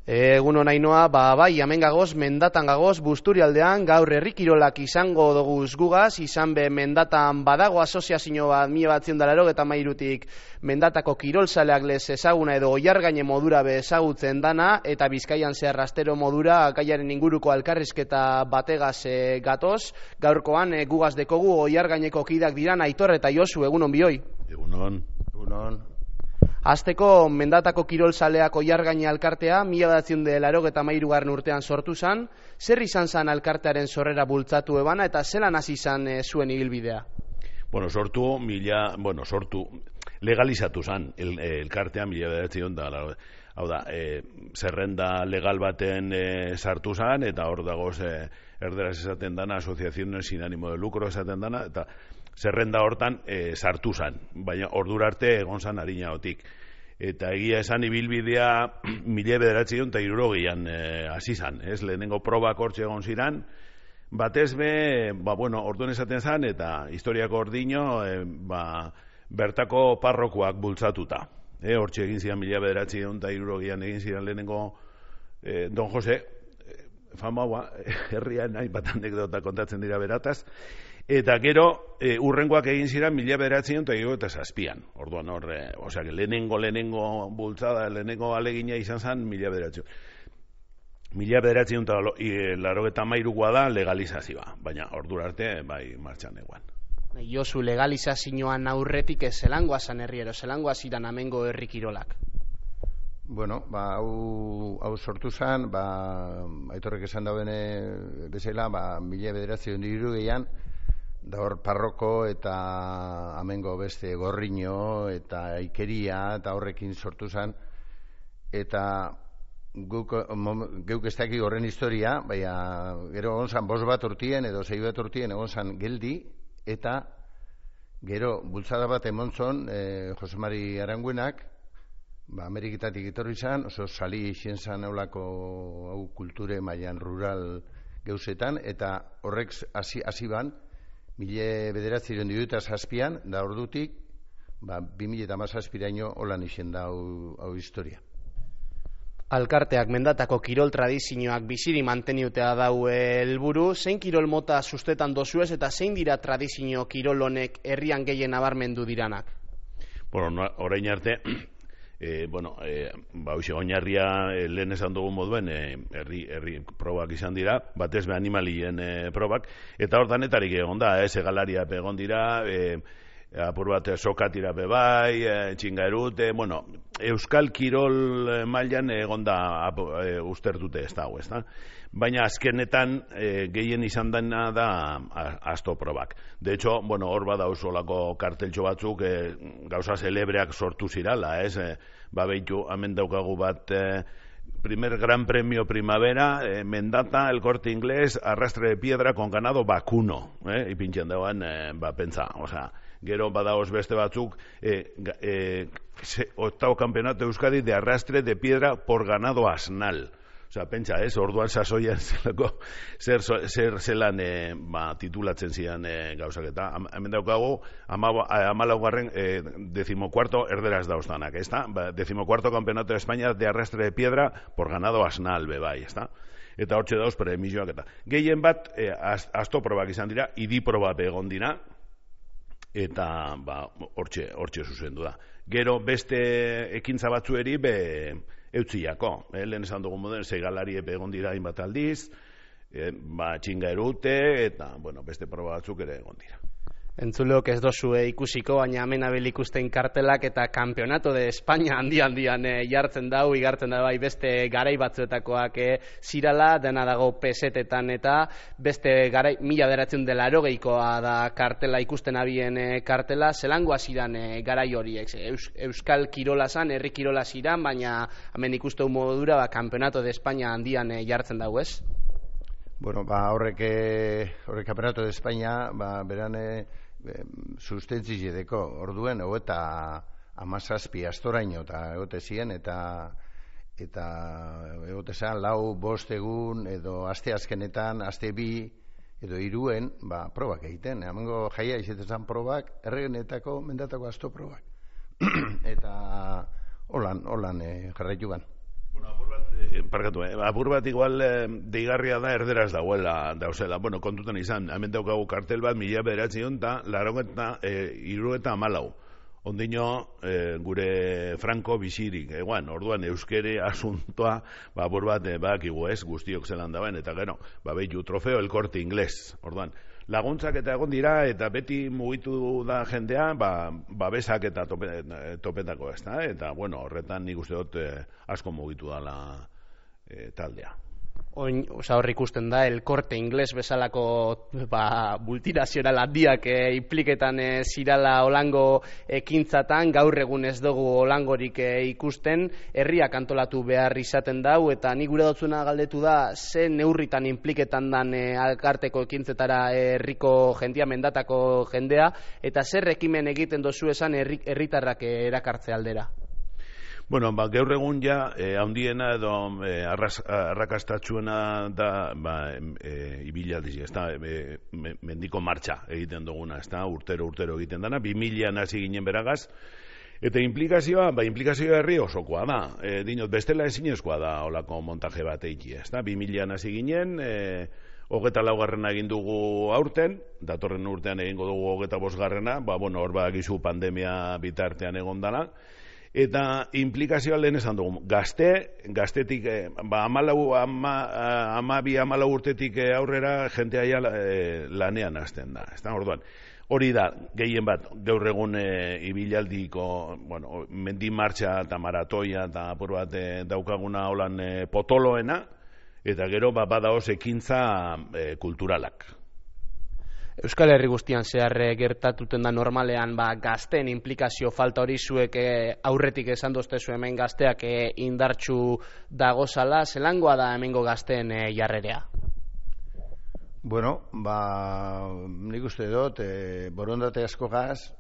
Egun nainoa, bai, hemen gagoz, mendatan gagoz, Busturialdean, gaur herrikirolak izango doguz gugaz, izan be mendatan badago asoziazio bat, 1983tik mendatako kirolzaleak lez ezaguna edo oiargaine modura be ezagutzen dana, eta Bizkaian zehar astero modura gaiaren inguruko alkarrizketa bategaz gatoz, gaurkoan gugaz dekogu oiargaineko kidak diran Aitor eta Josu, egunon bioi. Egunon. Azteko mendatako kirolzaleak oiargaine alkartea 1983 urtean sortu zan, zer izan zan alkartearen sorrera bultzatu ebana eta zelan hasi zan zuen ibilbidea? Sortu, legalizatu zan elkartea 1980. Hau da, zerrenda legal baten sartu zan, eta hor dagoz erderaz esaten dana, asociaciones sin ánimo de lucro esaten dana, eta zerrenda hortan sartu zan, baina ordura arte egon zan harinaotik. Eta egia esan ibilbidea 1970an hasi zan, lehenengo probak hortxe egon ziran, batez be, orduan esaten zan, eta historiako ordino, bertako parrokoak bultzatuta. Hortxe egin ziren 1970an egin ziren lehenengo Don Jose, famaua, herrian nahi bat anekdota kontatzen dira berataz, eta gero urrengoak egin ziren 1977an. Orduan hor, lehenengo bultzada, lehenengo alegina izan zen 1983 da legalizazioa, baina ordura arte bai martxan eguan. Josu, legalizazioan aurretik zelangoa zan herriero, zelangoa ziren amengo herrikirolak? Hau sortu zen, Aitorrek esan dauen bezala, 1983an, da hor parroko eta amengo beste gorriño eta ikeria eta horrekin sortu zen, eta geuk ez dakik horren historia, baina gero egon zan 5 bat urtien edo 6 bat urtien egon zan geldi, eta gero bultzada bat emontzon Jose Mari Aranguenak, Ameriketatik etorri zan, oso sali izien zan eulako kulture mailan rural geuzetan, eta horrek hasi ban 1977an, da ordutik 2017raino holan izen da hau historia. Alkarteak mendatako kirol tradizioak biziri manteniutea dau helburu, zein kirol mota sustetan dozuez eta zein dira tradizio kirol honek herrian gehien nabarmendu diranak? Orain arte, oinarria lehen esan dugun moduen herri probak izan dira, batez be animalien probak, eta hor danetarik egon da, segalaria egon dira, apur bat sokatira bai, txingaerute, euskal kirol mailan egon da ustertute ez dago, ez da? Baina azkenetan gehien izan dena da asto probak. De hecho, hor bada usolako karteltxo batzuk gauza celebreak sortu zirala, ez? Behitu, hemen daukagu bat primer gran premio primavera, Mendata, el Corte Inglés, arrastre de piedra con ganado vacuno, ipintxen dagoen, pentsa, gero badaoz beste batzuk, octavo campeonato de Euskadi de arrastre de piedra por ganado asnal. Pentsa, orduan sasoian zer zelan titulatzen zidan gauzak eta hemen daukagu 14. 14. erderaz dauztanak, ez da? 14. campeonato de España de arrastre de piedra por ganado asnal, bai, ez da? Eta hortxe dauz premioak eta. Gehien bat, asto probak izan dira, idi proba egon dira, eta hortxe zuzendu da. Gero beste ekintza batzueri eutziako, lehen esan dugun moden, segalari egon dira hainbat aldiz, txingaerute, eta beste proba batzuk ere egon dira. Entzuleok ez dozu ikusiko, baina hemen abel ikusten kartelak eta Campeonato de España handian jartzen dau, igartzen da bai beste garai batzuetakoak zirala, dena dago pesetetan eta beste garai 1980koa da kartela ikusten abien kartela, zelangoa ziran garai horiek, euskal kirola zan, herri kirola ziran, baina hemen ikustu modura Campeonato de España handian jartzen dau, ez? Horrek Campeonato de España, beran sustentzi zedeko, orduen, eta 17 astoraino, eta egote ziren, eta egote zan, 4-5 egun, edo aste azkenetan, aste 2, edo 3, probak egiten. Hemengo jaia izaten probak, erregenetako, mendatako asto probak. Eta holan jarraitu gan. parkatu, apur bat igual deigarria da erderaz dauzela. Bueno, kontutan izan, hemen daukagu kartel bat 1994 ondino gure Franco bizirik, orduan euskere asuntoa, apur bat, bakigu ez, guztiok zelan dauen, eta gero, behitu trofeo El Corte Inglés, orduan. Laguntzak eta egon dira, eta beti mugitu da jendea, babesak eta topetako ez da, eta horretan nik uste dut asko mugitu dala taldea. Hor ikusten da, El Corte Inglés bezalako multinazional handiak impliketan zirala olango ekintzatan, gaur egun ez dugu olangorik ikusten, herriak antolatu behar izaten dau, eta nik gure dotzuna galdetu da, ze neurritan impliketan dan alkarteko ekintzetara herriko jendia, mendatako jendea, eta zer ekimen egiten dozu esan herritarrak erakartze aldera? Bueno, gaur egun ja, handiena edo arrakastatxuena da ibilaldiz, ez da, mendiko martxa egiten duguna, ez da, urtero egiten dana, 2000an hasi ginen beragaz, eta implikazioa herri osokoa da, dinot, bestela ezinezkoa da olako montaje bat eiki, ez da, 2000an hasi ginen, 24 egin dugu aurten, datorren urtean egingo dugu 25, hor badakizu pandemia bitartean egon dana, eta implikazioa lehen esan dugu, gaztetik, 12 urtetik aurrera jentea lanean hasten da. Orduan, hori da, gehien bat, gaur egun ibilaldiko, mendi martxa eta maratoia eta apur bat daukaguna holan potoloena, eta gero badaoz ekintza kulturalak. Euskal Herri guztian zehar gertatuten da normalean gazteen implikazio falta hori zuek aurretik esan doztezu hemen gazteak indartsu dagozala, zelangoa da hemengo gazteen jarrerea? Bueno, nik uste dut, borondate asko gaz,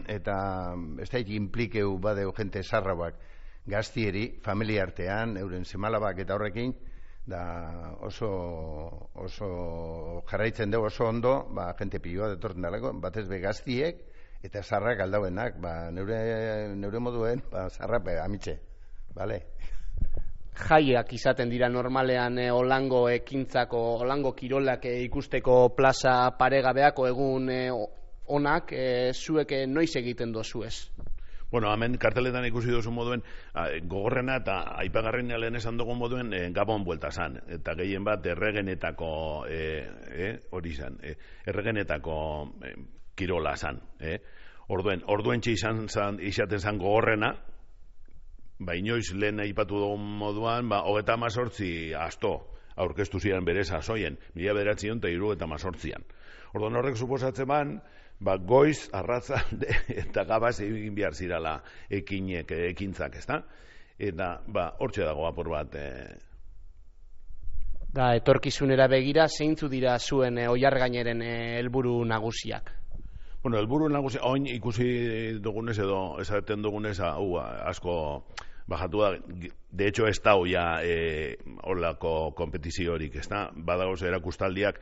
eta ez da implikeu badeu jente zarrabak gaztieri, familia artean, euren semalabak eta horrekin, da oso jarraitzen dugu oso ondo, jente pilua detorten dalako, batez be gaztiek eta zarrak aldauenak, neure moduen, zarrape amitxe, bale? Jaiak izaten dira normalean olango ekintzako, olango kirolak ikusteko plaza paregabeako egun onak, zuek noiz egiten dozu ez? Bueno, hemen karteletan ikusi duzu moduen, gogorrena eta aipagarrena lehen esan dugu moduen Gabon buelta zan, eta gehien bat erregenetako hori zan, erregenetako kirola zan. Orduen izaten zan gogorrena, inoiz lehen aipatu dugun moduan, 38 asto aurkeztu ziren bere sasoien, 1978an. Orduan horrek suposatzen ban, goiz, arratzalde eta gabaz egin behar zirala ekintzak, ez da? Eta hortxe dago apur bat. Etorkizunera begira, zeintzu dira zuen oiargaineren helburu nagusiak? Bueno, helburu nagusia, oin ikusi dugunez edo esaten dugunez asko bajatu da, de hecho ez da ya holako kompetiziorik, ez da? Badagoz erakustaldiak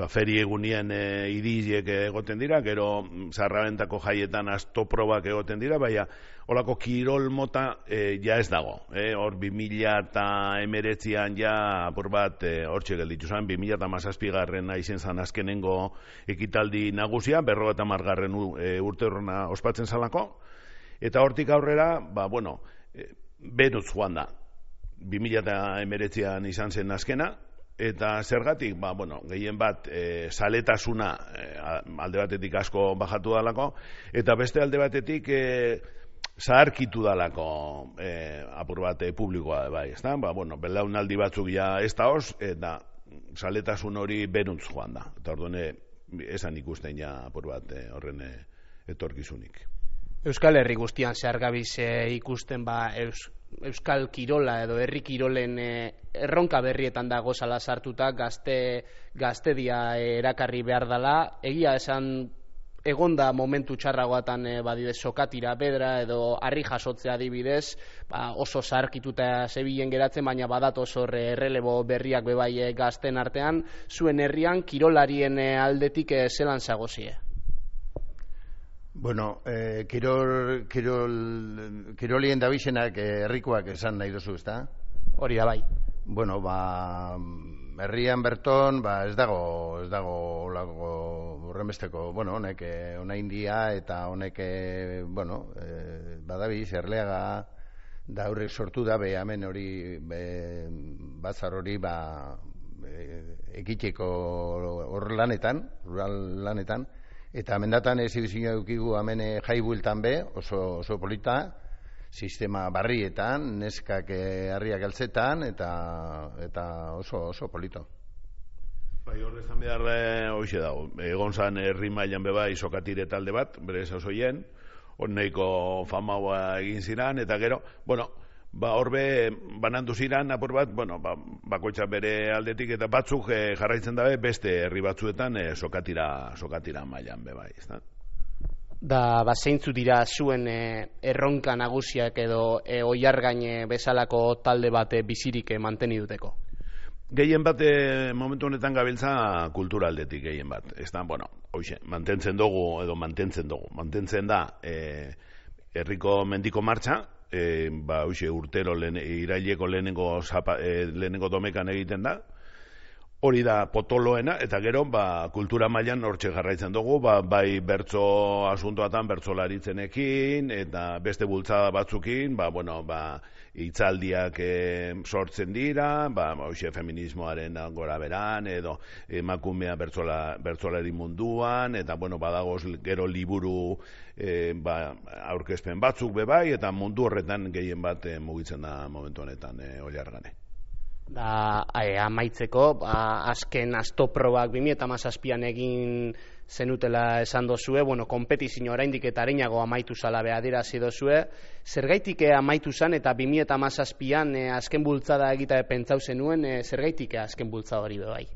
feri egunien idiziek egoten dira, gero zarrabentako jaietan astoprobak egoten dira, baina holako kirol mota ja ez dago. Hor 2019an ja apur bat hortxe gelditu zen, 2017 izen zan azkenengo ekitaldi nagusia, 50. urte horrena ospatzen zalako, eta hortik aurrera, benutz joan da. 2019an izan zen azkena, eta zergatik, gehien bat saletasuna alde batetik asko bajatu dalako, eta beste alde batetik zaharkitu dalako apur bat publikoa bai, ezta? Belaunaldi batzuk ja ez da hoz, eta saletasun hori beruntz joan da. Eta orduan esan ikusten ja apur bat horren etorkizunik. Euskal Herri guztian zehar gabiz ikusten Euskal Kirola edo herri kirolen erronka berrietan dago zala sartuta, gaztedia erakarri behar dela. Egia esan egonda momentu txarragoatan badidez sokatira bedra edo harri jasotzea adibidez, oso zaharkituta zebilen geratzen, baina badatoz hor errelebo berriak bebai gazten artean. Zuen herrian kirolarien aldetik zelan zagozie? Bueno, kirolien dabizenak herrikoak esan nahi duzu, ezta? Hori da bai. Bueno, herrian berton, ez dago horrenbesteko, bueno, honek ona India eta honek, bueno, badabiz, Erleaga da horrek sortu da, hemen hori, bazar hori, ekiteko hor lanetan, rural lanetan, eta mendatan exhibizioa edukigu hemen jaibueltan oso polita, sistema barrietan, neskak harriak altzetan, eta oso polito. Bai, hor esan behar hoxe dago. Egon zan herri mailan bebai sokatire talde bat, bere sasoien, hor nahiko famaua egin ziran, eta gero, bueno, horbe banandu ziran, apur bat, bueno, bakoitza bere aldetik, eta batzuk jarraitzen dabe beste herri batzuetan sokatira mailan bebai, ez da? Da, zeintzu dira zuen erronka nagusiak edo oiargain bezalako talde bat bizirik manteni-duteko? Gehien bat momentu honetan gabiltza kultura aldetik gehien bat. Ez da, bueno, hoxe, mantentzen da herriko mendiko martxa, hoxe, urtero iraileko lehenengo domekan egiten da, hori da potoloena, eta gero kultura mailan hortxe jarraitzen dugu, bai bertso asuntoatan bertsolaritzenekin, eta beste bultzada batzukin, hitzaldiak sortzen dira, hoxe feminismoaren gora beran, edo emakumea bertsolari munduan, eta badagoz gero liburu aurkezpen batzuk bebai, eta mundu horretan gehien bat mugitzen da momentu honetan Oiargane. Da, amaitzeko, azken astoprobak 2017an egin zenutela esan dozue, konpetizio oraindik eta areinago amaitu zala adierazi dozue, zergaitik amaitu zan eta 2017an azken bultzada egita pentsau zenuen, zergaitik azken bultzada hori bebai?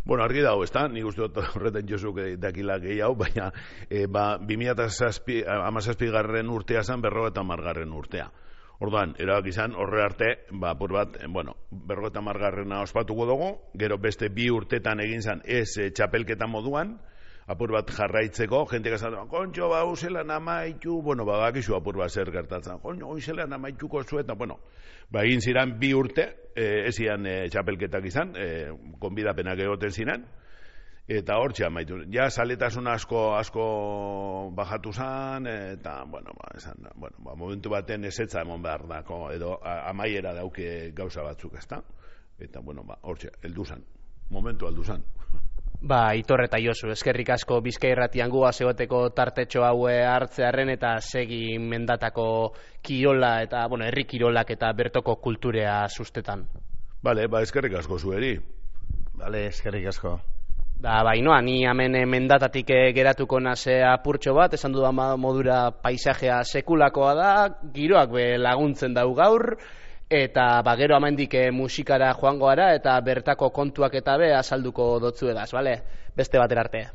Bueno, argi dago, ez da, nik uste dut horretan josuk dakila gehiago, baina 2017 urtea zan 50 urtea. Orduan, erabak izan, horre arte, apur bat, 50 ospatuko dugu, gero beste 2 urtetan egin zan ez txapelketa moduan, apur bat jarraitzeko, jentek esan, kontxo, uselan amaitu, bakizu apur bat zer gertatzen, uselan amaituko zu, eta, egin ziren 2 urte, ez zian txapelketak izan, konbidapenak egoten ziren, eta hortxe amaitu. Ja, saletasun asko bajatu zan, eta, momentu baten ezetza emon behar dako, edo amaiera dauke gauza batzuk, ezta? Eta, hortxe, heldu zan. Momentu heldu zan. Aitor eta Josu, eskerrik asko Bizkai Irratian guaz egoteko tartetxo haue hartzearen eta segi mendatako kirola eta, herri kirolak eta bertoko kulturea sustetan. Bale, eskerrik asko zueri. Bale, eskerrik asko. Ni hemen mendatatik geratuko naze apurtxo bat, esan dudan modura paisajea sekulakoa da, giroak laguntzen dau gaur, eta gero hemendik musikara joango gara, eta bertako kontuak eta azalduko dotzuegaz, bale? Beste batera arte.